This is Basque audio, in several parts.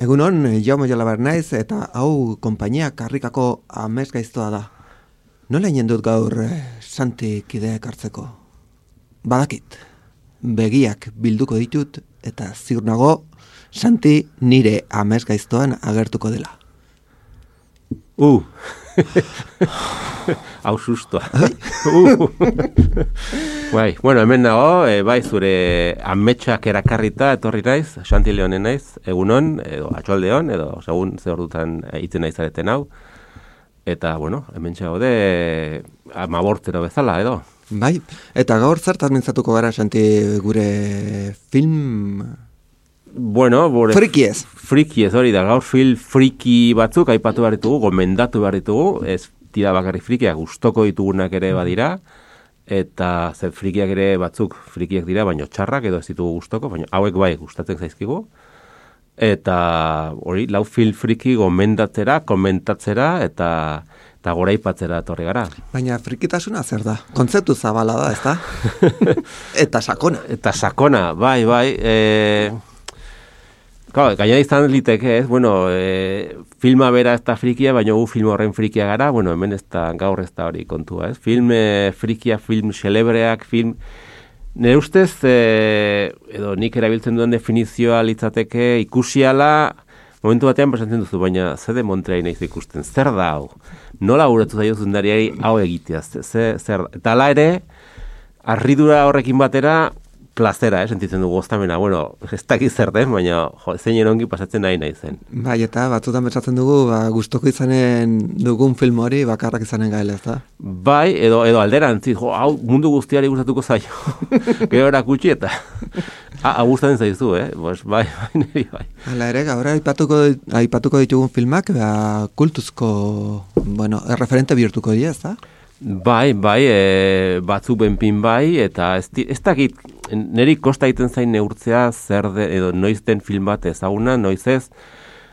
Egunon, Jaume Jolaber naiz eta hau konpainia karrikako amesgaiztoa da. Nola inen dut gaur Santi kideak hartzeko? Badakit, begiak bilduko ditut eta ziur nago Santi nire amesgaiztoan agertuko dela. Hau sustoa. Bai, bueno, hemen nago, bai zure ametsak erakarrita etorri naiz, Santi Leonen naiz, egunon, edo atxaldeon, edo segun ze ordutan itzen naizareten hau. Eta, bueno, hemen txagode amabortzero bezala, edo. Bai, eta gaur zertaz mintzatuko gara, Santi, gure film... Bueno, frikiez. Frikiez, hori da, gaur film friki batzuk aipatu behar ditugu, gomendatu behar ditugu, ez tira bakarrik frikiak, gustoko ditugunak ere badira, eta zer frikiak ere batzuk frikiak dira, baino txarrak edo ez ditugu gustoko, baina hauek bai gustatzen zaizkigu. Eta hori, lau film friki gomendatzera, komentatzera, eta goraipatzera etorri gara. Baina frikitasuna zer da? Kontzeptu zabala da, ezta? Eta sakona. Eta sakona, bai. Gaina izan liteke, ez? Bueno, filma bera ez da frikia, baina gu film horren frikia gara, bueno, hemen gaur ez da hori kontua, ez? Film frikia, film celebreak, film... Nire ustez, edo nik erabiltzen duen definizioa litzateke ikusiala, momentu batean pasatzen duzu, baina ze de Montreal naiz ikusten, zer da hau? Nola guretu zaio zundariari hau egitea, zer da? Eta ala ere, harridura horrekin batera, plazera, sentitzen dugu goztamena. Bueno, ez dakiz zer den, baina zein erongi pasatzen nahi zen. Bai, eta batzutan pentsatzen dugu, gustoko izanen dugun film hori bakarrak izanen gaela, ez da? Bai, edo alderantziz, hau mundu guztiari gustatuko zaio. Gero erakutsi eta hau gustatzen zaizu, bai, niri bai. Hala ere, gaur aipatuko ditugun filmak, kultuzko, bueno, erreferente bihurtuko dira, ez da? Bai, batzuk benpin bai, eta ez dakit, niri kosta egiten zain neurtzea zer edo noiz den film bat ezaguna, noiz ez,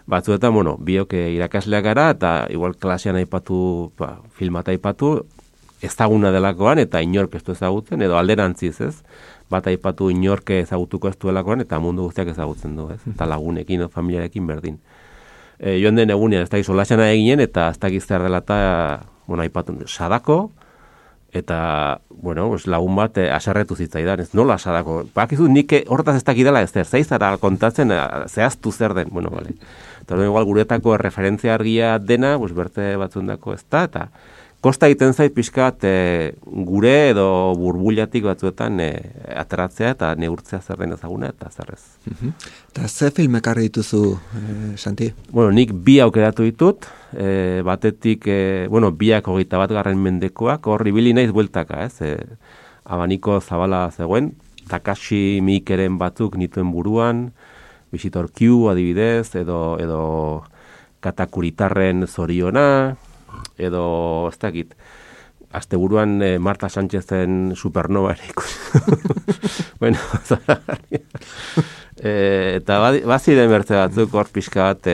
batzuetan, bueno, biok irakasleak gara, eta igual klasean aipatu, filmat aipatu, ezaguna delakoan, eta inork ez du ezagutzen, edo alderantziz, ez? Bat aipatu inork ezagutuko ez duelakoan, eta mundu guztiak ezagutzen du, ez? Eta lagunekin, familiarekin berdin. Joan den egunean, ez dakit solasana eginen, eta ez dakit zer dela eta, bueno, aipatu, Sadako, eta, bueno, lagun bat aserretu zitzaidan, ez nola Sadako. Bakizu nik horretaz ez dakidala ez zer, zaizara kontatzen, zehaztu zer den, bueno, bale. Eta igual guretako referentzia argia dena, berte batzundako ez da, eta kosta egiten zait pixkat gure edo burbulatik batzuetan ateratzea eta neurtzea zer den ezaguna eta zer ez. Eta ze film ekarri dituzu, Santi? Bueno, nik bi aukeratu ditut, batetik, biak 21. mendekoak, horri bili naiz bueltaka, ez? Abaniko zabala zegoen, Takashi Miikeren batzuk nituen buruan, Visitor Q adibidez, edo Katakuritarren Zoriona, edo, ez dakit, asteburuan Marta Sánchezen Supernova ere ikusi. Bueno, eta baziren bertze batzuk hor pixka bat,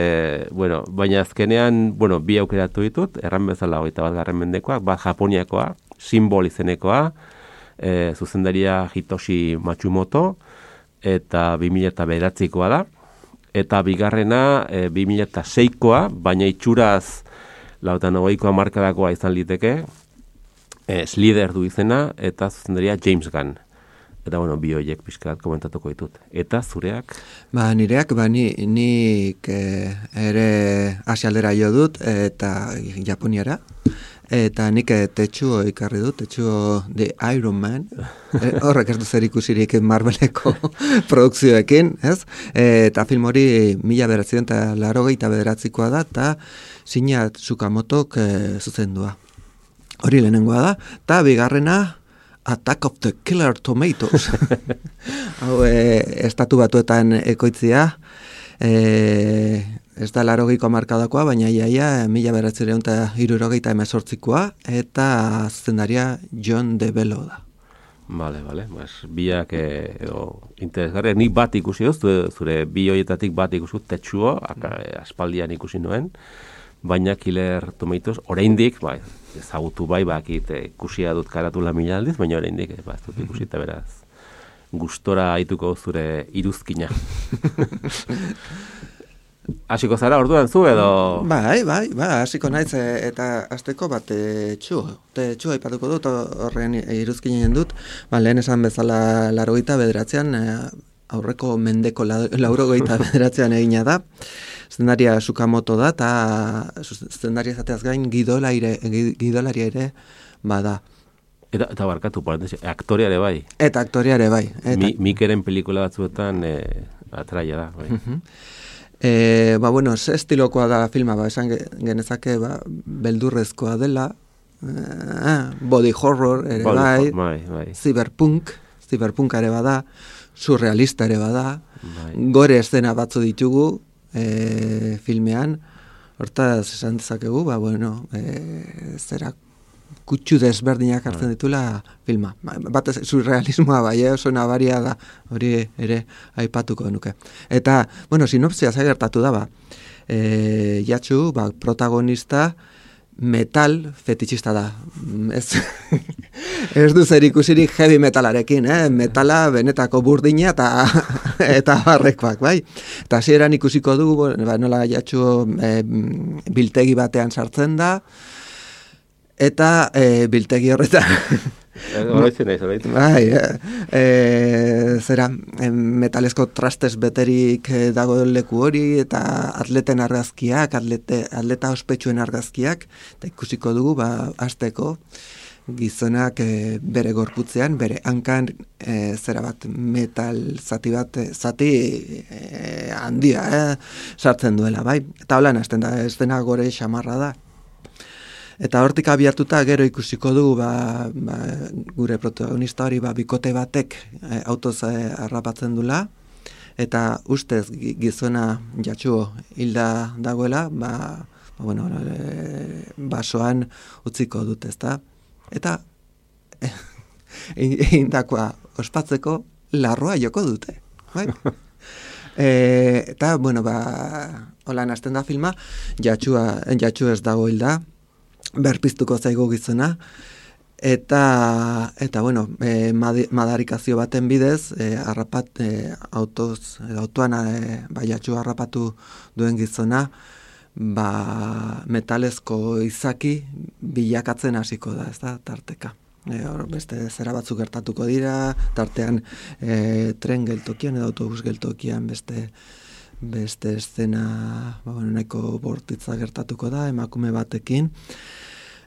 baina azkenean, bi aukeratu ditut, erran bezala 21. mendekoak, bat Japoniakoa, Simbol izenekoa, zuzendaria Hitoshi Matsumoto, eta 2009koa da, eta bigarrena 2006koa, baina itxuraz 2008koa markadakoa izan liteke, Slither du izena, eta zuzendaria James Gunn. Eta, bi horiek pixkat komentatuko ditut. Eta zureak? Nireak, nik ere asialdera jo dut, eta Japoniara. Eta nik Tetsuo ikarri dut, Tetsuo The Iron Man. Horrek ez du zer ikusirik Marveleko produkzioekin, ez? Eta film hori 1989koa da, eta Shinya Tsukamotok zuzendua. Hori lehenengoa da, eta bigarrena Attack of the Killer Tomatoes. Hau, estatu batuetan ekoitzia, Ez da 80ko hamarkadakoa, baina iaia 1978koa, eta zuzendaria John DeBello da. Vale. Biak edo interesgarri. Nik bat ikusi dut, zure bi hoietatik bat ikusi dut, Tetsuo, aspaldian ikusi nuen, baina Killer Tomatoes, oraindik, ezagutu bakit ikusia dut karatula mila aldiz, baina oraindik, ez dut ikusi, eta beraz, gustora haituko zure iruzkina. Hasiko zara orduan zu edo? Bai, hasiko naiz eta hasteko bat Tetsuo aipatuko dut, horren iruzkinen dut, lehen esan bezala 89an, aurreko mendeko 89an egina da, zuzendaria Sukamoto da, eta zuzendaria izateaz gain gidolaria ere bada. Eta barkatu, aktoreare bai. Eta aktoreare bai. Mikeren pelikula batzuetan atraia da, bai. Ze estilokoa da filma, esan genezake beldurrezkoa dela, body horror ere bai, cyberpunk ere bada, surrealista ere bada, gore eszena batzu ditugu filmean, hortaz esan dezakegu, zera kutsu desberdinak hartzen ditula filma. Batez surrealismoa oso nabaria da, hori ere aipatuko nuke. Eta, sinopsia gertatu da, Yatsu, protagonista, metal fetitxista da. Ez du zer ikusirik heavy metalarekin, metala benetako burdina eta barrekoak, bai. Eta hasieran ikusiko dugu, nola Yatsu biltegi batean sartzen da, eta biltegi horretan metalezko trastez beterik dago leku hori, eta atleten argazkiak, atleta ospetsuen argazkiak, eta ikusiko dugu, hasteko gizonak bere gorputzean, bere hankan metal zati handia sartzen duela, bai? Eta holan hasten da, ez dena gore xamarra da. Eta hortik abiatuta gero ikusiko dugu gure protagonista hori bikote batek autoz harrapatzen dula, eta ustez gizona Yatsuo hilda dagoela, basoan utziko dut, ezta? Eta indakoa ospatzeko larroa joko dute. Bai? Eta, holan hasten da filma, Yatsu ez dago hilda, berpiztuko zaigu gizona, eta madarikazio baten bidez, autoan Yatsu harrapatu duen gizona, metalezko izaki bilakatzen hasiko da, ez da, tarteka. Beste zera batzuk gertatuko dira, tartean tren geltokian edo autobus geltokian beste eszena nahiko bortitza gertatuko da, emakume batekin.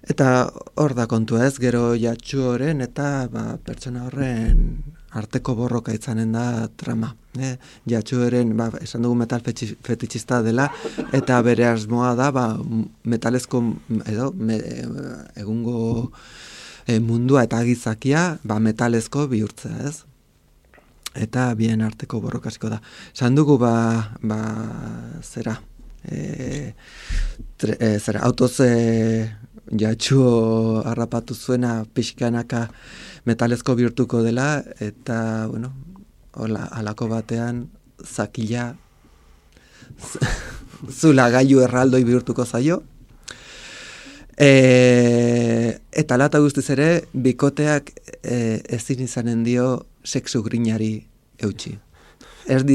Eta hor da kontua ez, gero Yatsuoren eta pertsona horren arteko borroka izanen da trama. Yatsuoren, esan dugu metal fetitxista dela, eta bere asmoa da, metalezko edo egungo mundua eta gizakia metalezko bihurtzea, ez? Eta bien arteko borrokasiko da. Esan dugu autoz Yatsuo harrapatu zuena pixkanaka metalezko bihurtuko dela, eta, halako batean zakila zula gailu erraldoi bihurtuko zaio. Eta lata guztiz ere, bikoteak ezin izanen dio sexu grinari eutxi. Ez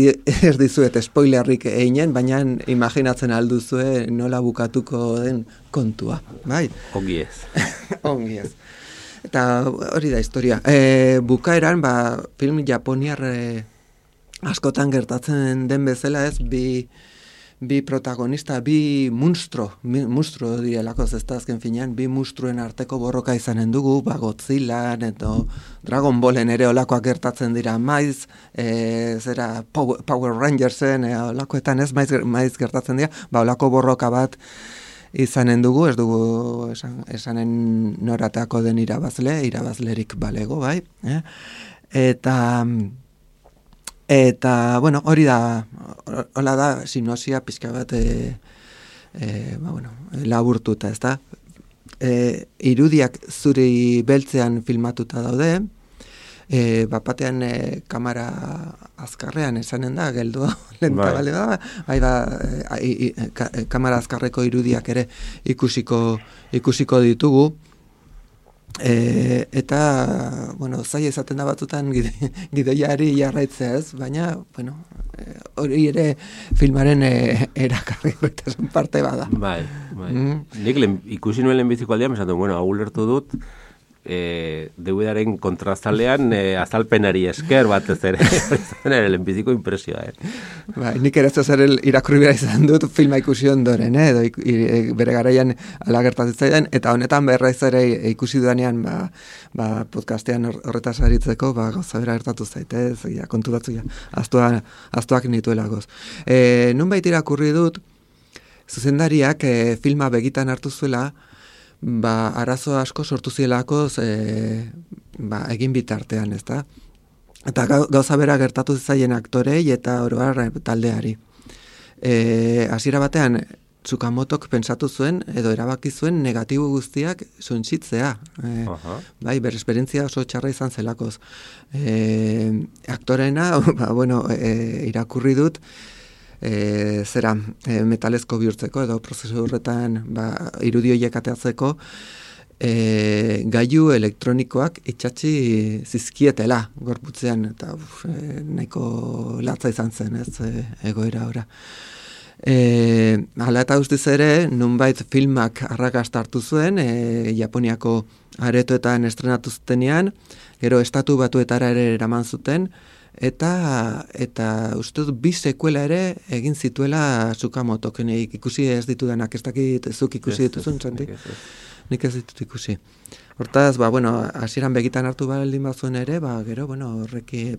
dizuet spoilerrik einen, baina imaginatzen alduzue nola bukatuko den kontua, bai? Ongi ez. Ongi ez. Eta hori da historia. Bukaeran, film japoniar askotan gertatzen den bezala ez, bi protagonista, bi monstro direlako, ez da azken finean, bi monstruen arteko borroka izanen dugu, Godzillan edo Dragon Ballen ere olakoak gertatzen dira maiz, Power Rangersen, olakoetan ez maiz gertatzen dira, olako borroka bat izanen dugu, ez dugu esanen norateako den irabazlerik balego, bai? Eta hori da hola da sinopsia pizka bat laburtuta, ezta? Irudiak zuri beltzean filmatuta daude, batean kamera azkarrean esanen da, geldu lenta bale da, kamera azkarreko irudiak ere ikusiko ditugu, eta, zaila izaten da batzutan gidoiari jarraitzea ez, baina, hori ere filmaren erakarrikotasun parte bada. Bai. Nik ikusi nuen lehenbiziko aldean, esatu, hau lertu dut, DVD-aren kontrazalean azalpenari esker batez ere, ere lehenbiziko impresioa. Bai, nik ere zer irakurri behar izan dut filma ikusi ondoren, edo bere garaian alagertatzen, eta honetan berraiz ere ikusi dudanean podcastean horretaz aritzeko, gauza bera gertatu zaitez, konturatu aztuak nituela goz. Nunbait irakurri dut, zuzendariak filma begitan hartu zuela, arazo asko sortu zielakoz egin bitartean, ezta? Eta gauza bera gertatu zaien aktorei eta oroar taldeari. Hasiera batean, Tsukamotok pentsatu zuen, edo erabaki zuen negatibo guztiak suntsitzea. Bai, bere esperientzia oso txarra izan zelakoz. Aktorena, irakurri dut, metalezko bihurtzeko edo prozesu horretan irudi horiek ateatzeko gailu elektronikoak itxatzi zizkietela gorputzean eta nahiko latza izan zen egoera ora. Hala eta guztiz ere, nunbait filmak arrakasta hartu zuen, Japoniako aretoetan estrenatu zutenean, gero Estatu Batuetara ere eraman zuten, eta uste dut 2 sekuela ere egin zituela Tsukamotok, ikusi ez ditudanak, ez dakit zuk ikusi dituzun, Santi? Nik ez ditut ikusi. Hortaz, hasieran begitan hartu baldin bazuen ere, gero,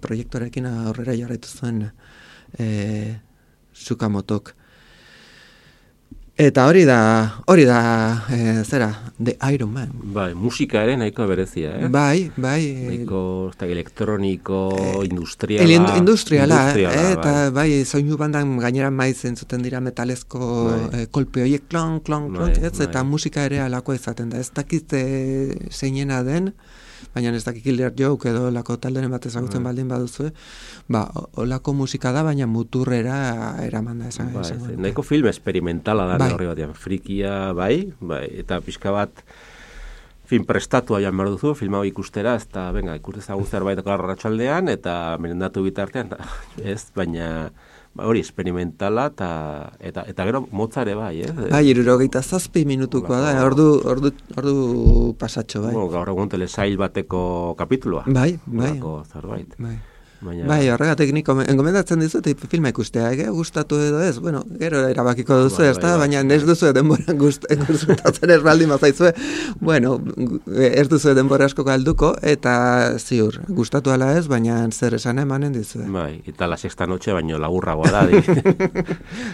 proiektorekin aurrera jarraitu zuen Tsukamotok. Eta hori da, The Iron Man. Bai, musika ere nahiko berezia, Bai. Nahiko elektroniko, industriala. Industriala, eta bai, soinu bandan gainera maiz entzuten dira metalezko kolpe horiek, klon, eta musika ere alako izaten da. Ez dakit zeinena den, baina ez dakik Killer Joke edo lako talderen bat ezagutzen baldin baduzue, olako musika da, baina muturrera eraman da esan. Nahiko film esperimentala da horri batean, frikia, bai, eta pixka bat film prestatua joan behar duzu, film hau ikustera, ez da, ikustezagun zerbaitako arratsaldean, eta merendatu bitartean, ez, baina hori esperimentala eta gero motza ere bai, Bai, 67 minutukoa da, ordu pasatxo, bai. Gaur egun telesail bateko kapituloa. Bai. Zerbait. Bai, horregatik nik engomendatzen dizut filma ikustea, gustatu edo ez, gero erabakiko duzu, baina ez duzu denbora gustatzen ez baldin bazaizue, ez duzu denbora asko galduko, eta ziur, gustatu ala ez, baina zer esan emanen dizue. Bai, eta la sexta noche baino laburragoa da.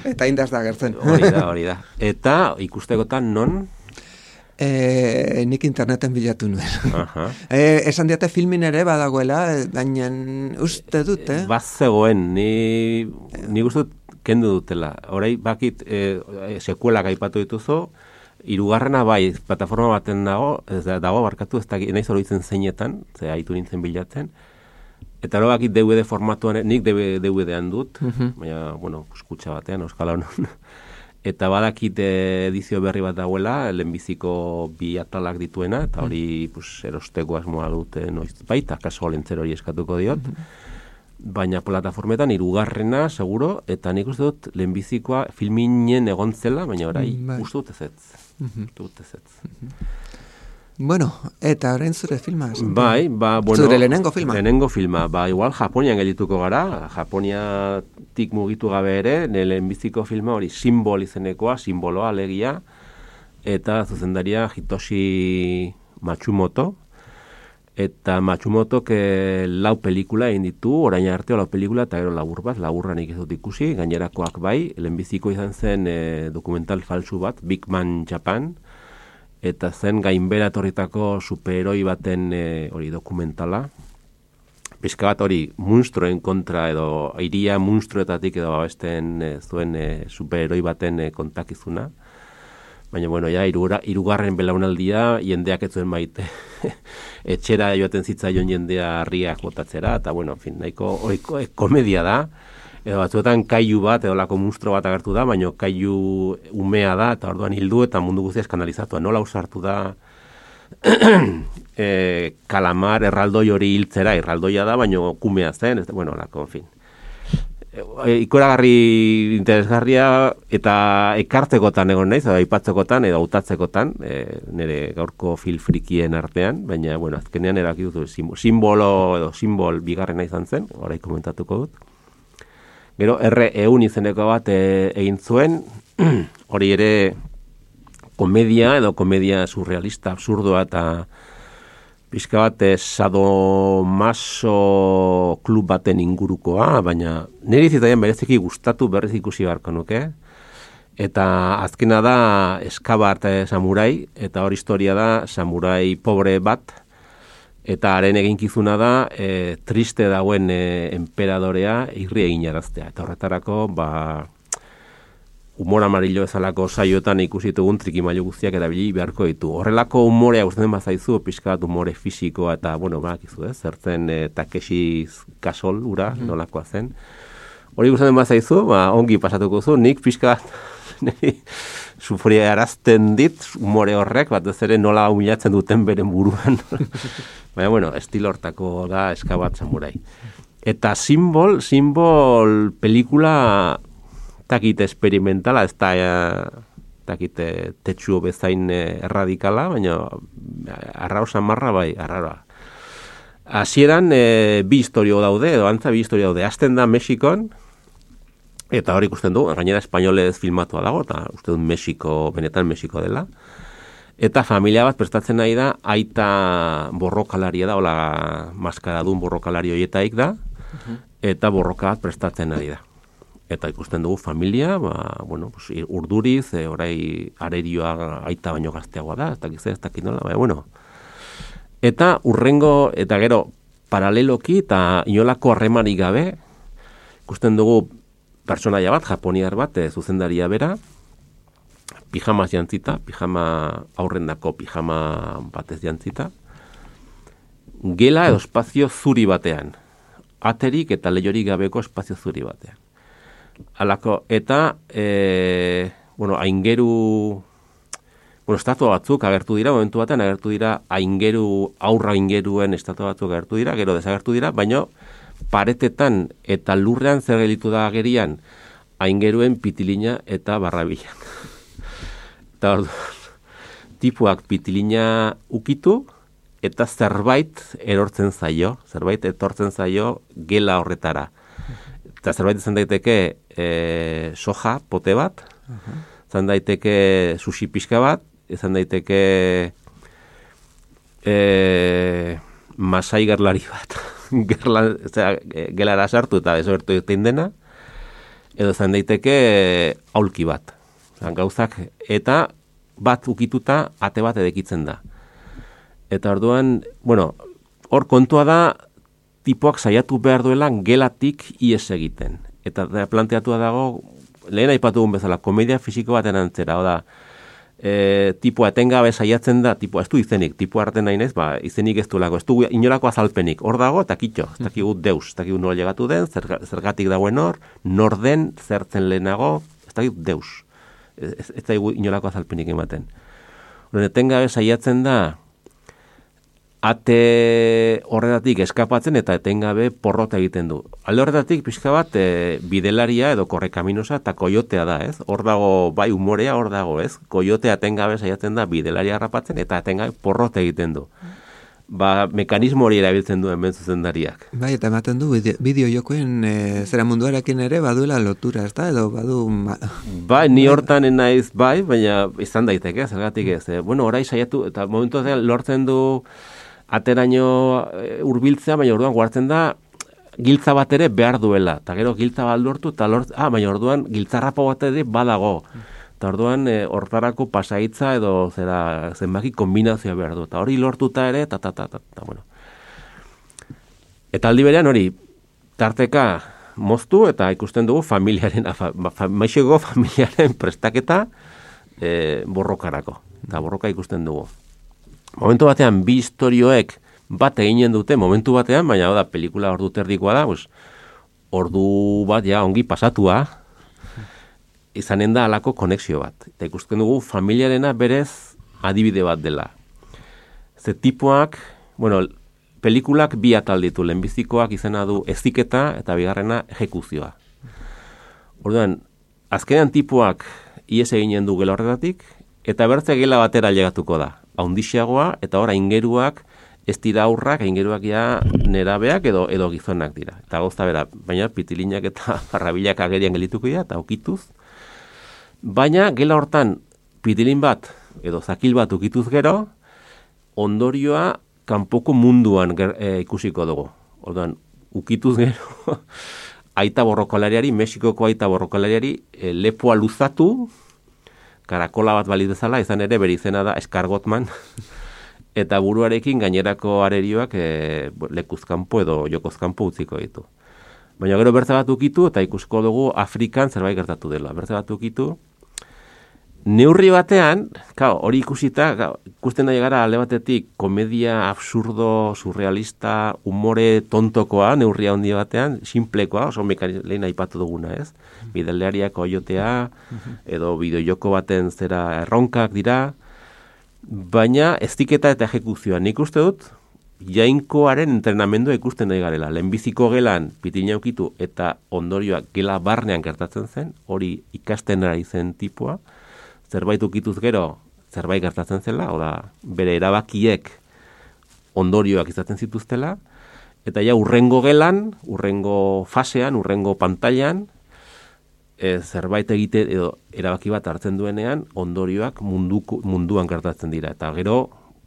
Eta indaz da gertzen. Hori da. Eta ikustekotan non? Nik interneten bilatu nuen. Esan diate filmin ere badagoela, baina uste dut, Bazegoen, ni uste dut kendu dutela. Horai bakit sekuelak aipatu dituzu, 3. bai, plataforma baten dago barkatu, ez da nahi zoroitzen zeinetan, ze haitu nintzen bilatzen, eta hori bakit DVD formatuan, nik DVD-an dut, baina, kuskutxa batean, euskal honon. Eta badakit edizio berri bat dagoela, lehenbiziko 2 atalak dituena, eta hori erosteko asmoa dute noiz baita, kaso lentzer hori eskatuko diot. Baina plataformetan 3. seguro, eta nik uste dut lehenbizikoa filminen egon zela, baina orai uste dut ezetz. Eta orain zure filma. Bai, zure lehenengo filma. Lehenengo filma, igual Japonian geldituko gara, Japoniatik mugitu gabe ere, lehenbiziko filma hori Simbol izenekoa, simboloa alegia, eta zuzendaria Hitoshi Matsumoto, eta Matsumotok 4 pelikula egin ditu, orain arte 4 pelikula, eta gero laburra nik ez dut ikusi, gainerakoak bai, lehenbiziko izan zen dokumental falsu bat, Big Man Japan, eta zen gainbera etorritako superheroi baten hori dokumentala, pixka bat hori munstruen kontra edo iria munstruetatik edo babesten zuen superheroi baten kontakizuna. Baina, bueno, ja, hirugarren belaunaldia jendeak ez zuen maite. Etxera joaten zitzaion jendea harriak botatzera, eta, bueno, en fin, nahiko komedia da. Edo batzuetan kailu bat, edo lako munstro bat agertu da, baina kailu umea da, eta orduan hildu eta mundu guztia eskanalizatua. Nola usartu da kalamar erraldoi hori hiltzera, erraldoia da, baina kumea zen, bueno, lako, en fin. Ikoragarri interesgarria eta ekartzekotan egon naiz, edo aipatzekotan edo hautatzekotan, nire gaurko frikien artean, baina, bueno, azkenean eraki dut simbol bigarrena izan zen, orain komentatuko dut. Gero, R.E.U. izeneko bat egin zuen, hori ere komedia edo komedia surrealista, absurdoa eta pixka bat sadomaso klub baten ingurukoa, baina niri zitaian bereziki gustatu berriz ikusi beharko nuke. Eta azkena da Eskabart samurai, eta hori historia da samurai pobre bat, eta haren eginkizuna da triste dagoen enperadorea irri eginaraztea. Eta horretarako, humor amarillo ezalako saioetan ikusi ditugun trikimailu guztiak erabili beharko ditu. Horrelako humorea gustatzen bazaizu, pixka bat humore fisikoa eta, bueno, badakizu, zertzen Takeshi Kasol ura, nolakoa zen. Hori gustatzen bazaizu, ongi pasatuko zu, nik pixka bat sufria arazten dit humore horrek, batez ere nola humilatzen duten beren buruan. Baina, bueno, estilo hortako da Eskabart samurai. Eta simbol pelikula takit experimentala, ez da takit tetsuo bezain erradikala, baina arrao samarra bai, arraroa. Hasieran bi historio daude, edo antza bi historio daude. Hasten da Mexikon, eta hori ikusten du, gainera espainolez filmatua dago, eta uste dut benetan Mexiko dela. Eta familia bat prestatzen nahi da, aita borrokalaria da, hola maskaradun borrokalari horietaik da, eta borroka bat prestatzen ari da. Eta ikusten dugu familia, bueno, urduriz, orai arerioa aita baino gazteagoa da, ez dakit nola, bueno. Eta urrengo, eta gero, paraleloki eta inolako harremanik gabe, ikusten dugu pertsonaia bat, japoniar bat, zuzendaria bera, pijamaz jantzita, aurrendako pijama batez jantzita, gela edo espazio zuri batean, aterik eta leiorik gabeko espazio zuri batean. Alako, eta, aingeru, estatua batzuk agertu dira, momentu batean agertu dira, aurra aingeruen estatua batzuk agertu dira, gero desagertu dira, baina paretetan eta lurrean zer gelitu da agerian, aingeruen pitilina eta barrabilan. Eta tipuak pitilina ukitu, eta zerbait etortzen zaio gela horretara. Eta zerbait izan daiteke soja, pote bat, izan daiteke sushi pixka bat, izan daiteke masai gerlari bat, gelara sartu eta desobertu egiten dena, edo izan daiteke aulki bat, gauzak, eta bat ukituta ate bat edekitzen da. Eta orduan, hor kontua da, tipoak saiatu behar duela gelatik ies egiten. Eta planteatua dago, lehen aipatu gun bezala, komedia fisiko baten antzera, oda, tipoa etengabe saiatzen da, tipoa ez du izenik, tipoa arten nahi nez, izenik ez duelako, ez du inolako azalpenik, hor dago eta kitxo, ez dakigu deus, ez dakigu nola llegatu den, zergatik dagoen nor den, zertzen lehenago, ez dakigu deus, ez dakigu inolako azalpenik ematen. Etengabe saiatzen da, ate horretatik eskapatzen eta etengabe porrota egiten du. Alde horretatik pixka bat bidelaria edo korrekaminosa eta koiotea da, ez? Hor dago, bai umorea hor dago, ez? Koiotea etengabe saiatzen da bidelaria harrapatzen eta etengabe porrota egiten du. Mekanismo hori erabiltzen duen zuzendariak. Bai, eta ematen du bideo jokoen zera munduarekin ere baduela lotura, ez da? Edo badu... Bai, ni hortan naiz bai, baina izan daiteke, zergatik ez. Orai saiatu, eta momentu lortzen du ateraino hurbiltzea, baina orduan guartzen da giltza bat ere behar duela. Eta gero giltza bat lortu, eta baina orduan giltzarrapo bat ere badago. Eta orduan hortarako pasaitza edo zenbaki kombinazioa behar du. Eta hori lortuta ere, bueno. Eta aldi berean hori, tarteka moztu eta ikusten dugu maixeko familiaren prestaketa borrokarako. Eta borroka ikusten dugu. Momentu batean, bi istorioek bat eginen dute, momentu batean, baina da, pelikula ordu terdikoa da, ordu bat ja ongi pasatua, izanen da alako konexio bat. Eta ikusten dugu familiarena berez adibide bat dela. Ze tipuak, pelikulak bi atal ditu, lehenbizikoak izena du heziketa eta bigarrena ejekuzioa. Orduan, azkenean tipuak ies eginen du gela horretatik, eta bertze gela batera llegatuko da. Haundixeagoa eta ora ingeruak ez dira aurrak, ingeruak ja nerabeak edo gizonak dira. Eta gozta bera, baina pitilinak eta barrabilak agerian gelituko dira, eta okituz. Baina gela hortan pitilin bat edo zakil bat ukituz gero, ondorioa kanpoko munduan ikusiko dugu. Orduan, ukituz gero, aita borrokalariari, Mexikoko aita borrokalariari, lepoa luzatu, karakola bat baliz bezala, izan ere bere izena da eskargotman, eta buruarekin gainerako arerioak lekuzkanpo edo jokozkanpo utziko ditu. Baina gero bertze bat ukitu, eta ikusiko dugu Afrikan zerbait gertatu dela. Bertze bat ukitu, neurri batean, hori ikusita, ikusten da gara alde batetik komedia absurdo, surrealista, umore tontokoa, neurria handi batean, simplekoa, oso lehen aipatu duguna, ez? Bideleariak oiotea, edo bideojoko baten zera erronkak dira, baina eztiketa eta ejekuzioa. Nik uste dut, jainkoaren entrenamendua ikusten nahi garela. Lehenbiziko gelan pitina ukitu eta ondorioak gela barnean gertatzen zen, hori ikasten ari zen tipua, zerbait ukituz gero, zerbait gertatzen zela, bere erabakiek ondorioak izaten zituztela, eta ja urrengo gelan, urrengo fasean, urrengo pantailan, zerbait egite edo erabaki bat hartzen duenean, ondorioak munduan gertatzen dira. Eta gero,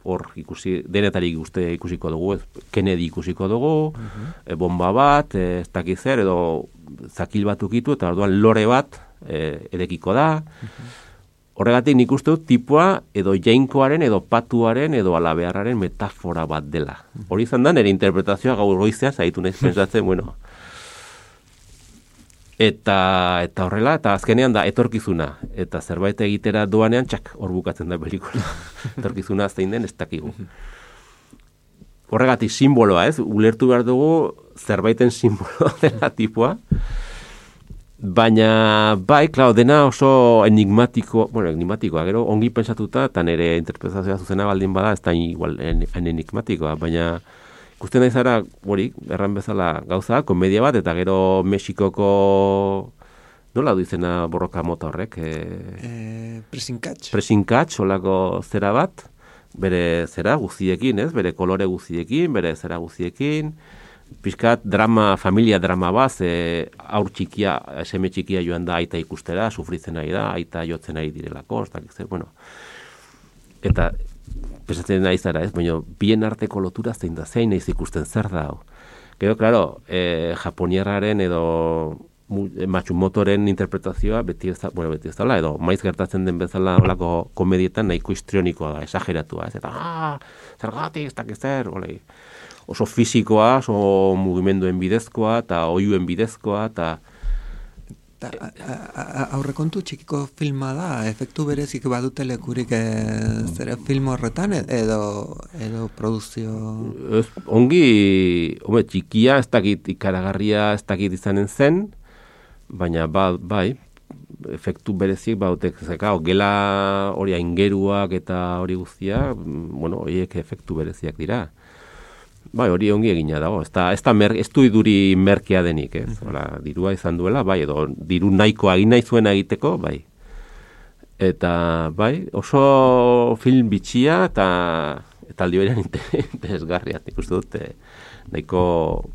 hor ikusi, denetarik ikusiko dugu, Kennedy ikusiko dugu, bomba bat, ez dakiz zer, edo zakil bat ukitu, eta orduan lore bat edekiko da. Horregatik nik uste dut tipua edo jainkoaren edo patuaren edo alabearraren metafora bat dela. Hori izan da, nire interpretazioa gaur goizean, zaitu nahiz pentsatzen, Eta horrela, eta azkenean da etorkizuna. Eta zerbait egitera doanean, hor bukatzen da pelikula. Etorkizuna zein den ez dakigu. Horregatik simboloa, ez? Ulertu behar dugu zerbaiten simboloa dela tipua. Baina, bai, dena oso enigmatikoa, gero ongi pentsatuta, eta nire interpretazioa zuzena baldin bada, ez da igual enigmatikoa, baina ikusten nahi zara, erran bezala gauza, komedia bat, eta gero Mexikoko, nola du izena borroka mota horrek? Pressing catch, olako zera bat, bere zera guztiekin, ez? Bere kolore guztiekin, bere zera guztiekin, pixkat familia drama bat, aur txikia, seme txikia joan da aita ikustera, sufritzen ari da, aita jotzen ari direlako, eta pesatzen nahi zara, ez? Baina bien arteko lotura zein da, zein nahiz ikusten zer da. Gero, klaro, japoniarraren edo Matsumotoren interpretazioa beti ez da, edo maiz gertatzen den bezala olako komedietan nahiko histrionikoa da, esageratua, ez? Eta, zergatik, ez dakiz zer, oso fisikoa, oso mugimenduen bidezkoa, eta oiuen bidezkoa, eta aurrekontu txikiko filma da, efektu berezik badute lekurik zere film horretan, edo produzio... Ongi, txikia, ez dakit ikaragarria, ez dakit izanen zen, baina bai, efektu berezik badute, gela hori aingeruak eta hori guztia, horiek efektu bereziak dira. Bai, hori ongi egina dago. Ez du iduri merkea denik, ez? Dirua izan duela, bai, edo diru nahiko egin nahi zuen egiteko, bai. Eta, bai, oso film bitxia eta aldi berean interesgarria. Nik uste dut, nahiko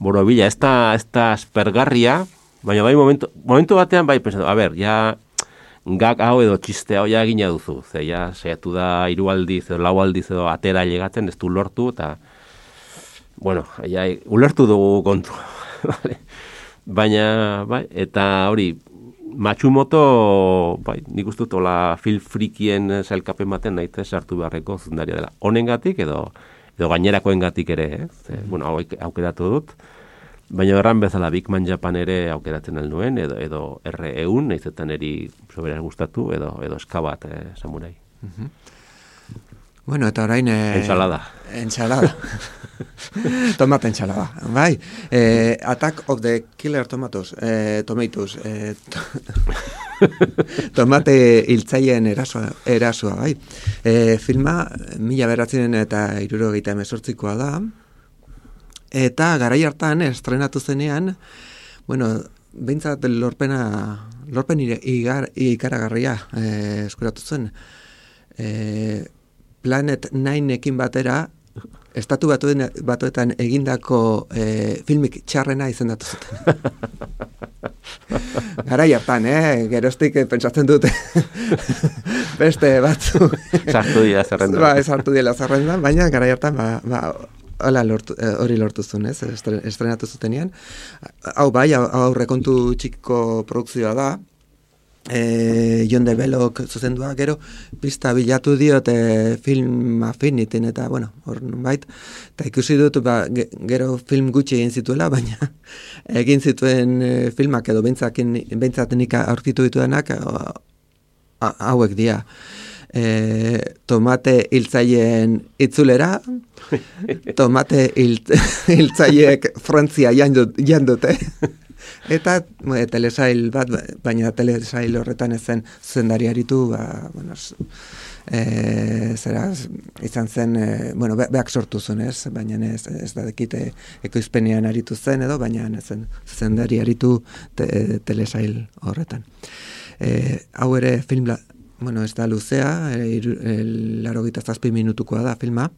borobila. Ez da aspergarria, baina bai, momentu batean, bai, pensatu, ja, gag hau edo txiste hau ja egina duzu. Ze, ja, saiatu da 3 aldiz edo 4 aldiz edo atera llegatzen, ez du lortu, eta ulertu dugu kontu. Baina, bai, eta hori, Matsumoto, bai, nik uste dut, film frikien sailkapen baten nahi sartu beharreko zuzendaria dela. Honengatik edo edo gainerakoengatik ere, bueno, aukeratu dut. Baina erran bezala Big Man Japan ere aukeratzen alduen, edo R1, nahizetan eri soberaz gustatu, edo eskabat samurai. Bueno, eta orain... Ensalada. Tomate ensalada, bai. Attack of the Killer Tomatoes. Tomate hiltzaien erasua, bai. Filma 1978koa da. Eta garai hartan estrenatu zenean, bueno, behintzat lorpen ikaragarria eskuratu zen. Planet 9ekin batera, estatu batuetan egindako filmik txarrena izendatu zuten. Garai hartan, geroztik pentsatzen dute beste batzu. Sartu dira zerrendan. Ba, sartu dira zerrendan, baina garai hartan, hori lortu zuen, estrenatu zutenean. Hau bai, aurrekontu txiko produkzioa da, Jon de Belok zuzendua, gero pista bilatu diot film afinitin eta, bueno, hor nonbait, eta ikusi dut, gero film gutxi egin zituela, baina egin zituen filmak edo behintzat nik aurkitu dituenak hauek dira. Tomate hiltzaien itzulera, tomate hiltzaiek Frantzia jandute, eta telesail bat, baina telesail horretan ezen zuzendari aritu, bueno, zera izan zen, bueno, beak sortu zuen, baina ez da dekite ekoizpenean aritu zen edo, baina ezen zuzendari aritu telesail horretan. Hau ere film, bueno, ez da luzea, 87 minutukoa da filma,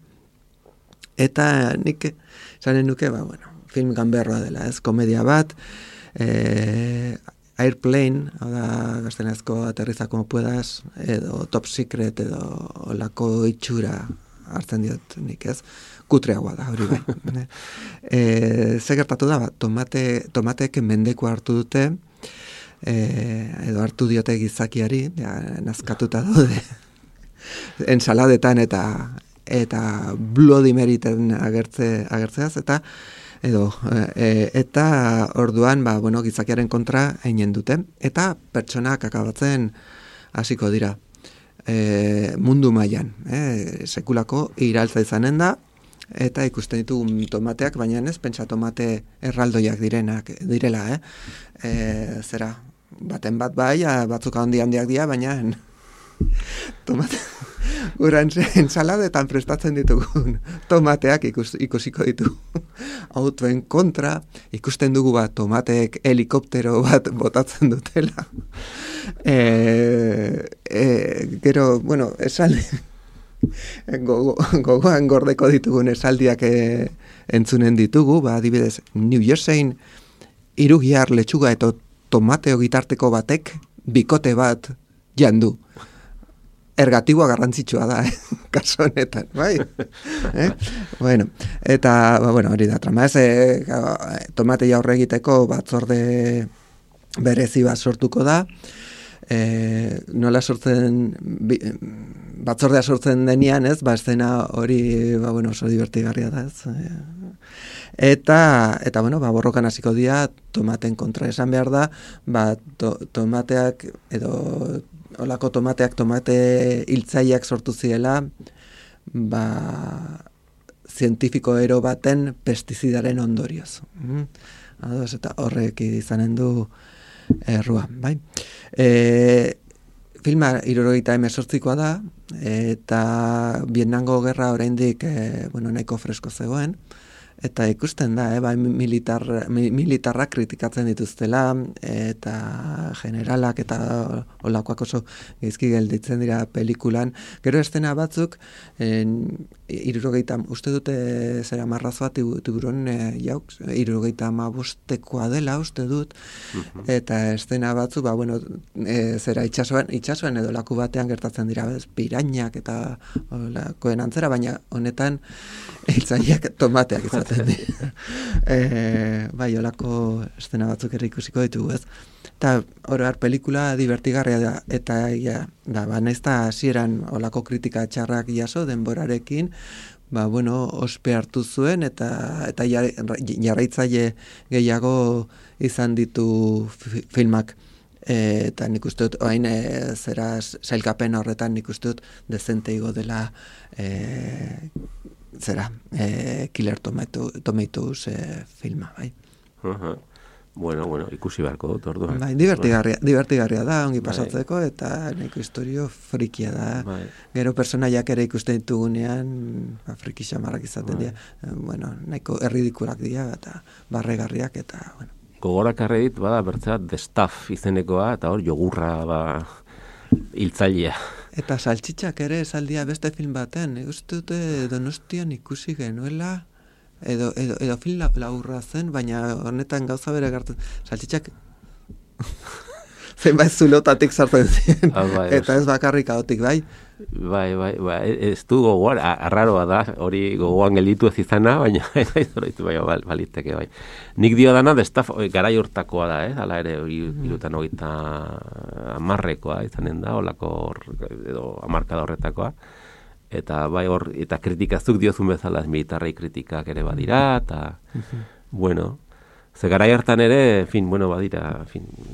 eta nik esanen nuke, bueno, film ganberroa dela, komedia bat, Airplane, hau da gaztenezko Aterriza como puedas, edo Top Secret, edo olako itxura hartzen diot nik, kutreagoa da, hori bai. Ze gertatu da, tomatek mendeko hartu dute, edo hartu diote gizakiari, nazkatuta daude, ensaladetan eta Bloody Maryten agertzeaz, eta orduan, bueno, gizakiaren kontra einen dute, eta pertsonak akabatzen hasiko dira mundu mailan, sekulako iraltza izanen da, eta ikusten ditugu tomateak, baina ez pentsa tomate erraldoiak direla, zera, baten bat bai, batzuk handiak dira, baina tomate guran ensaladetan prestatzen ditugun tomateak ikusiko ditugu. Autoen kontra ikusten dugu tomateek helikoptero bat botatzen dutela. Gero, bueno, esaldi gogoan gordeko ditugun esaldiak entzunen ditugu, adibidez, New Jerseyn hirugiar letxuga eta tomateo gitarteko batek bikote bat jandu. Ergatiboa garrantzitsua da, kaso honetan, bai? Bueno, eta, bueno, hori da, trama tomate jaurre egiteko batzorde berezi bat sortuko da, nola batzordea sortzen denean, eszena hori, bueno, oso divertigarria da, Eta bueno, borrokan hasiko dira tomaten kontra, esan behar da, tomateak edo olako tomate hiltzaileak sortu ziela, zientifiko ero baten pestizidaren ondorioz. Eta horrek izanen du errua, bai? Filma 78koa da, eta Vietnamgo gerra oraindik nahiko fresko zegoen, eta ikusten da, militarrak kritikatzen dituztela, eta generalak eta olakoak oso gizki gelditzen dira pelikulan. Gero estena batzuk, uste dute zera marrazoa tiburon jauk, 75koa dela uste dut, eta estena batzuk, zera itxasuan edo laku batean gertatzen dira, pirainak eta olakoen antzera, baina honetan hiltzaileak tomateak izaten dira. Bai, olako estena batzuk ere ikusiko ditugu, ez? Eta oroar pelikula divertigarria da, eta nahiz eta hasieran olako kritika txarrak jaso denborarekin, ospe hartu zuen eta jarraitzaile gehiago izan ditu filmak. Eta nik uste dut, oain sailkapen horretan nik uste dut dezente igo dela Killer Tomatoes filma, bai. Bueno, ikusi beharko dut, orduan. Bai, divertigarria da, ongi pasatzeko, eta nahiko historio frikia da. Gero personaiak ere ikusten ditugunean, friki xamarrak izaten dira. Nahiko erridikulak dira, eta barregarriak, eta, Gogorak arredit, bada, bertzat, The Stuff izenekoa, eta hor, jogurra, hiltzailea. Eta saltxitxak ere esaldia beste film baten, uste dute Donostian ikusi genuela, edo film laburra zen, baina honetan gauza bere gertu, saltxitxak zenbait zulotatik sartzen ziren, eta ez bakarrik haotik, bai? Bai, ez du gogoan, arraroa da, hori gogoan gelditu ez izana, baina baliteke, bai. Nik dio dana, garai hortakoa da, ala ere, irutan hogeita amarrekoa izanen da, olako edo amarkada horretakoa, eta bai hor, eta kritikazuk diozun bezala, militarrei kritikak ere badira, eta, ze garai hartan ere, badira,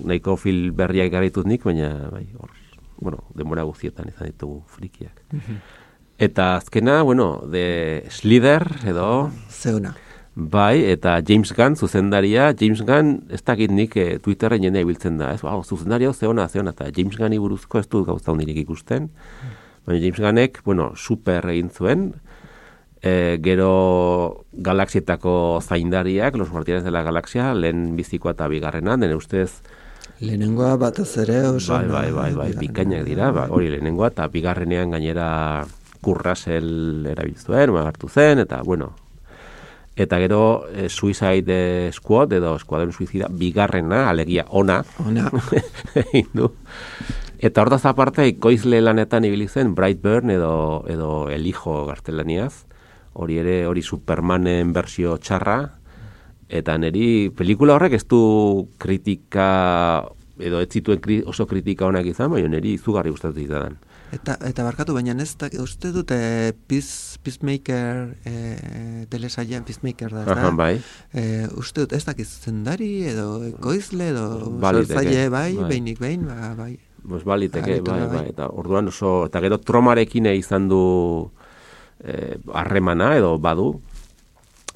nahiko film berriak garaitut nik, baina, bai, hor, denbora guztietan izan ditugu frikiak. Eta azkena, de Slither, edo... Zeuna. Bai, eta James Gunn, zuzendaria, James Gunn, ez dakit nik Twitterren jendea ibiltzen da, ez? Zuzendaria, zeona, eta James Gunni buruzko ez du gauza hundirik ikusten. Baina James Gunnek, super egin zuen, gero galaxietako zaindariak, Los Guardianes de la Galaxia, lehen bizikoa eta bigarrena, dene ustez... Lehenengoa batez ere oso... Bai, bikainak dira, hori lehenengoa, eta bigarrenean gainera Kurt Russell erabiltzuen, hartu zen, eta, eta gero Suicide Squad, edo Eskuadron Suicida, bigarrena, alegia ona, hindu. Eta hortaz aparte, ekoizle lanetan ibili zen Brightburn edo El Hijo gaztelaniaz, hori Supermanen bersio txarra, eta niri pelikula horrek ez du kritika, edo ez zituen oso kritika honak izan, baina niri izugarri gustatu zitzaidan. Eta barkatu, baina ez da, uste dute Peacemaker, telesailean Peacemaker da, ez da? Bai. Uste dut ez dakiz zendari, edo ekoizle, edo sortzaile, bai, behinik behin, bai. Baliteke, bai, eta orduan oso, eta gero tromarekin izan du harremana, edo badu,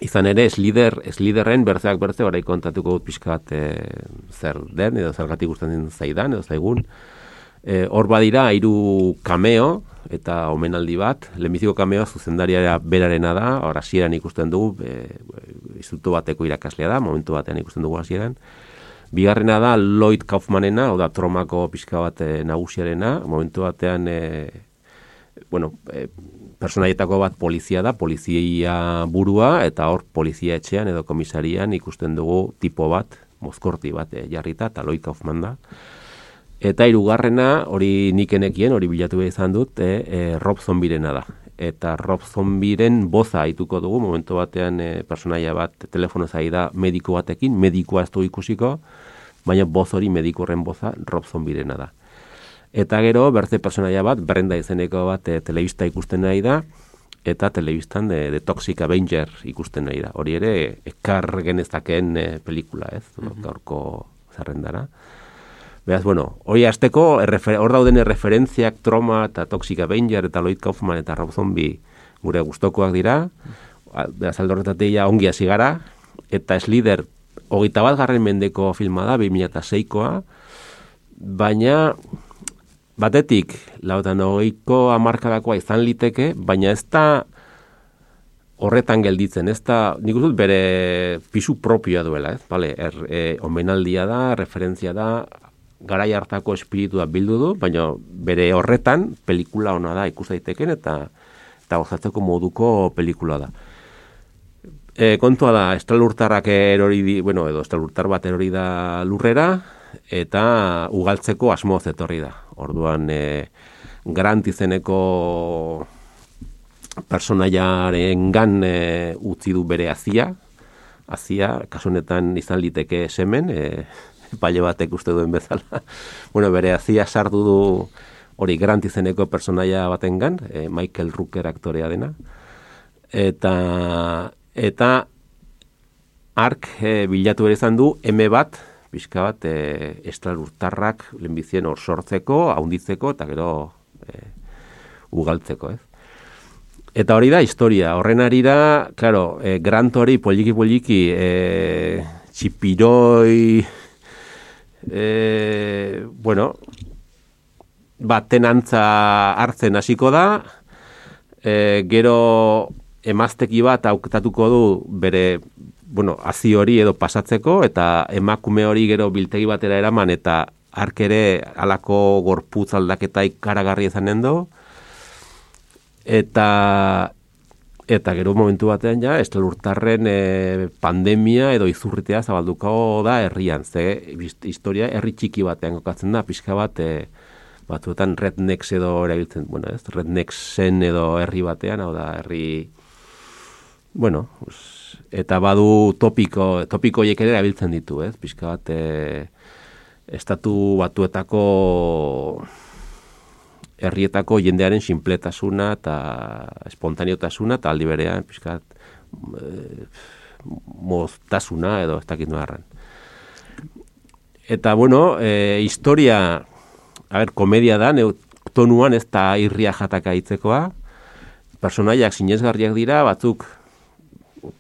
izan ere, Slitherren bertzeak bertze, orai kontatuko dut pixka bat zer den, edo zergatik gustatzen zaidan, edo zaigun. Hor badira, 3 cameo, eta omenaldi bat, lehenbiziko cameoa zuzendaria berarena da, hor hasieran ikusten dugu, instituto bateko irakaslea da, momentu batean ikusten dugu hasieran. Bigarrena da Lloyd Kaufmanena, oda tromako pixka bat nagusiarena, momentu batean, personaietako bat polizia da, polizia burua, eta hor polizia etxean edo komisarian ikusten dugu tipo bat, mozkorti bat jarrita, eta Lloyd Kaufman da. Eta 3. hori nikenekien, hori bilatu behar izan dut, Rob Zombirena da. Eta Rob Zombiren boza haituko dugu, momentu batean personaia bat telefono zai da mediko batekin, medikoa ez du ikusiko, baina boz hori mediko horren boza Rob Zombirena da. Eta gero, bertze personaia bat, Brenda izeneko bat telebista ikusten nahi da, eta telebistan de Toxic Avenger ikusten nahi da. Hori ere, ekar genezakeen pelikula, ez? Gaurko zerrendara. Beraz, hori hasteko, hor dauden referentziak Troma eta Toxic Avenger eta Lloyd Kaufman eta Rob Zombie gure gustokoak dira. Beraz, aldorretatik ongi hasi gara. Eta Slither, 21. mendeko filma da, 2006koa. Baina, batetik, 80ko hamarkadakoa izan liteke, baina ez da horretan gelditzen, ez da, nik uste dut bere pisu propioa duela, ez? Bale, omenaldia da, referentzia da, garai hartako espiritua bildu du, baina bere horretan pelikula ona da ikus daiteken eta gozatzeko moduko pelikula da. Kontua da, estralurtarrak edo estralurtar bat erori da lurrera, eta ugaltzeko asmoz etorri da. Orduan, Grant izeneko personaiaren gan utzi du bere azia, kasu honetan izan liteke semen, paile batek uste duen bezala. Bere azia sartu du hori Grant izeneko personaia batengan, Michael Rooker aktorea dena. eta ark bilatu ere izan du M bat, pixka bat estralurtarrak lehenbizien hor sortzeko, haunditzeko, eta gero ugaltzeko, ez? Eta hori da historia, horren arira, claro, Grant hori poliki, txipiroi, tenantza hartzen hasiko da, gero emazteki bat aukatatuko du bere, hazi hori edo pasatzeko, eta emakume hori gero biltegi batera eraman, eta ark ere halako gorputz aldaketa ikaragarri izanen du, eta gero momentu batean ja, estralurtarren pandemia edo izurritea zabalduko da herrian, ze historia herri txiki batean kokatzen da, pixka bat, batzuetan rednecks edo erabiltzen, rednecksen edo herri batean, hau da herri, eta badu topikoiek ere erabiltzen ditu, ez? Pixka bat, estatu batuetako herrietako jendearen sinpletasuna eta espontaneotasuna, eta aldi berean, pixka bat, moztasuna edo ez dakit noarren. Eta, historia, komedia da, tonuan ez da irria jataka hitzekoa, personaiak sinesgarriak dira, batzuk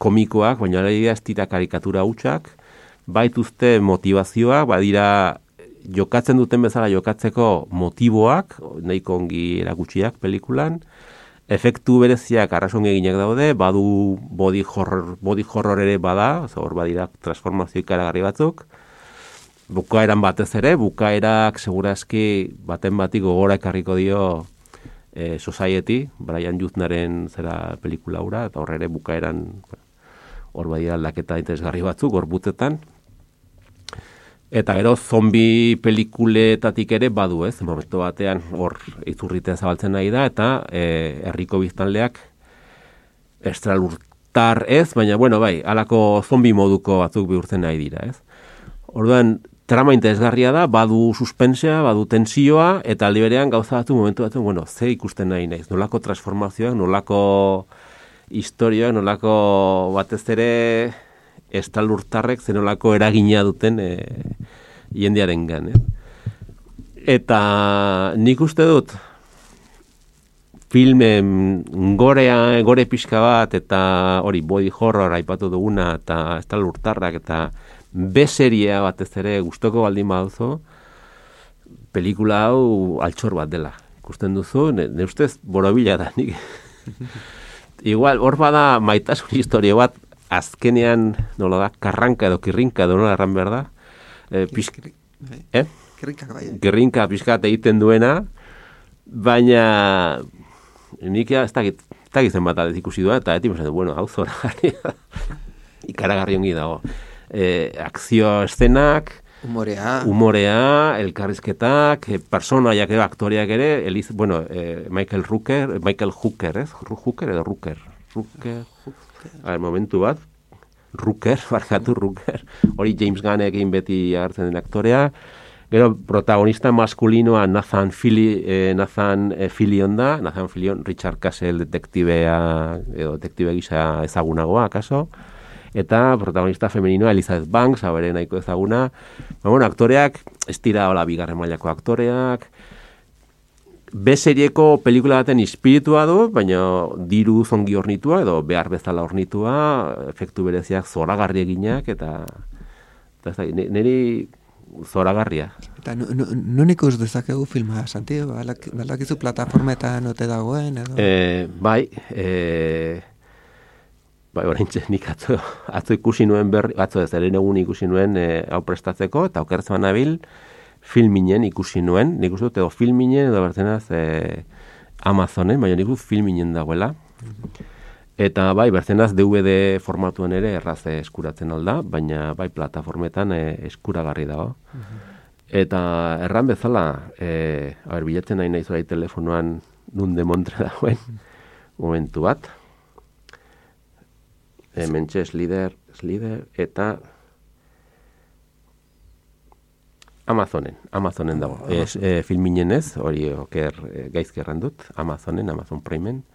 komikoak, baina ez dira karikatura hutsak, baituzte motivazioak, badira jokatzen duten bezala jokatzeko motiboak, nahiko ongi erakutsiak pelikulan, efektu bereziak arrasongi eginak daude, badu body horror ere bada, hor badira transformazio ikaragarri batzuk, bukaeran batez ere, bukaerak segurazki baten bati gogora ekarriko dio Society, Brian Yuznaren zera pelikula hura, eta hor ere bukaeran hor badira aldaketa interesgarri batzuk, gorputetan. Eta gero zombi pelikuletatik ere badu, ez? Momentu batean hor izurritea zabaltzen nahi da, eta herriko biztanleak estralurtar ez, baina bai, halako zombi moduko batzuk bihurtzen nahi dira, ez? Orduan, trama interesgarria da, badu suspensea, badu tensioa, eta aldi berean gauza batzu momentu batzu, ze ikusten nahi naiz, nolako transformazioak, nolako historioak, nolako batez ere estralurtarrek zenolako eragina duten jendearen gan. Eta nik uste dut filmen gore pixka bat, eta hori body horror aipatu duguna, eta estralurtarrak, eta B-seria batez ere gustoko baldin baduzu, pelikula hau altxor bat dela. Ikusten duzu, ne ustez borobila da nik. Igual, hor bada maitasun historia bat, azkenean, nola da, karranka edo kirrinka edo nola erran behar da. Kirrinka pixka egiten duena, baina nik ez dakit zen bat alez ikusi duena, eta eti hau zoragarri da. Ikaragarri ongi dago. Akzio eszenak, humorea, elkarrizketak, personaiak edo aktoreak ere, Michael Hooker, ez? Hooker edo Rooker? Momentu bat, Rooker. Hori James Gunnekin beti agertzen den aktorea. Gero protagonista maskulinoa Nathan Fillion da, Nathan Fillion, Richard Castle detektibe gisa ezagunagoa, akaso? Eta protagonista femeninoa Elizabeth Banks, abere nahiko ezaguna. Aktoreak, ez dira hola bigarren mailako aktoreak. B-serieko pelikula baten espiritua du, baina diru zongi ornitua, edo behar bezala ornitua, efektu bereziak zoragarri eginak, eta niri zoragarria. Eta non ikus dezakegu filma, Santi? Baldakizu plataformetan ote dagoen, edo? Bai, oraintxe nik atzo ikusi nuen eren egun ikusi nuen hau prestatzeko, eta okertzen nabil filminen ikusi nuen, nik uste dut edo filminen edo bertzenaz Amazonen, baina nik uste filminen dagoela. Eta bai, bertzenaz DVD formatuan ere erraz eskuratzen alda, baina bai plataformetan eskuragarri dago. Eta erran bezala, bilatzen nahi nahi zorai telefonoan nun demontre dagoen, momentu bat. Mentxe Slider, eta Amazonen dago. Filminen ez, hori oker gaizki erran dut, Amazon Primen.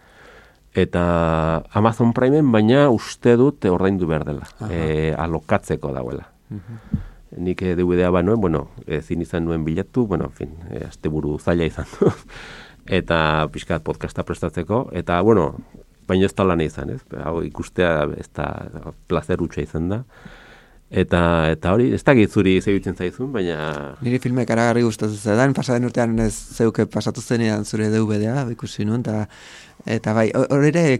Eta Amazon Primeen, baina uste dut ordaindu behar dela, alokatzeko dauela. Nik DVD-a banuen, bueno, ezin izan nuen bilatu, bueno, en fin, asteburu zaila izan du. Eta pixkat podcasta prestatzeko, eta, bueno, baina ez da lan izan, ez? Hau ikustea ez da placer hutsa izan da. Eta hori, ez da gitzuri zebitzen zaizun, baina... Niri filme karagarri gustatu zedan, pasaden urtean ez zeuke pasatu zenean zure DVD-a, ikusi nuen, eta bai, hori ere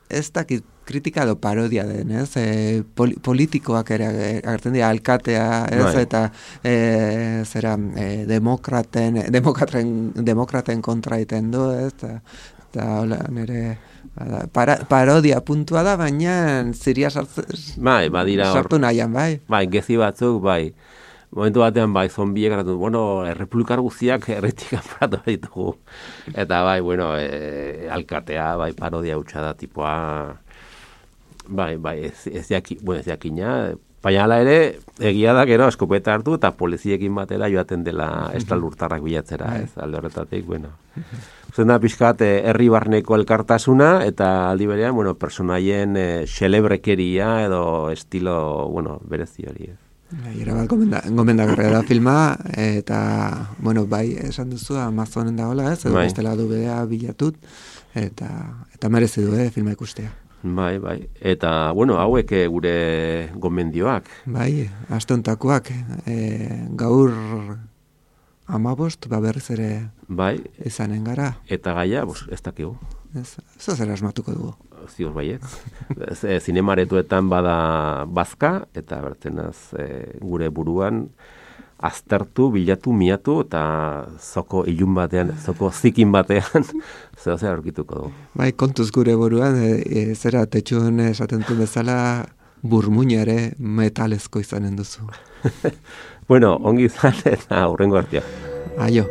ez dakit kritika edo parodia den, ez? Politikoak ere agertzen dira, alkatea, ez? Bai. Eta zera, demokraten kontra iten du, ez? Eta hola, nire... parodia puntua da, baina ziria sartu nahian, bai. Bai, gezi batzuk, bai. Momentu batean, bai, zombiek erratu, bueno, errepublikar guztiak erretik kanporatu ditugu. Eta, bai, bueno, alkatea, bai, parodia hutsa da, tipoa... Bai, ez jakina, baina ala ere, egia da, gero, eskopeta hartu, eta poliziekin batera joaten dela estalurtarrak bilatzera, ez, alde horretatik, bueno... Zer da pixkat herri barneko elkartasuna eta aldi berean, bueno, personaien xelebrekeria edo estilo, bueno, berezi hori. Era bat gomendagarria da filma, eta, bueno, bai, esan duzu Amazonen dagoela, ez, edo bestela DVD-a bilatut, eta merezi du, filma ikustea. Bai, eta, bueno, hauek gure gomendioak. Bai, aste hontakoak, gaur... 15, berriz ere izanen gara. Eta gaia, ez dakigu. Ez zer asmatuko dugu. Ziur baiet. Zinemaretuetan bada bazka, eta bertenaz gure buruan aztertu, bilatu, miatu, eta zoko ilun batean, zoko zikin batean, zer aurkituko dugu. Bai, kontuz gure buruan, zera tetxun esaten du bezala, burmuina ere metalezko izanen duzu. Bueno, ongi izan eta hurrengo artea. Aio.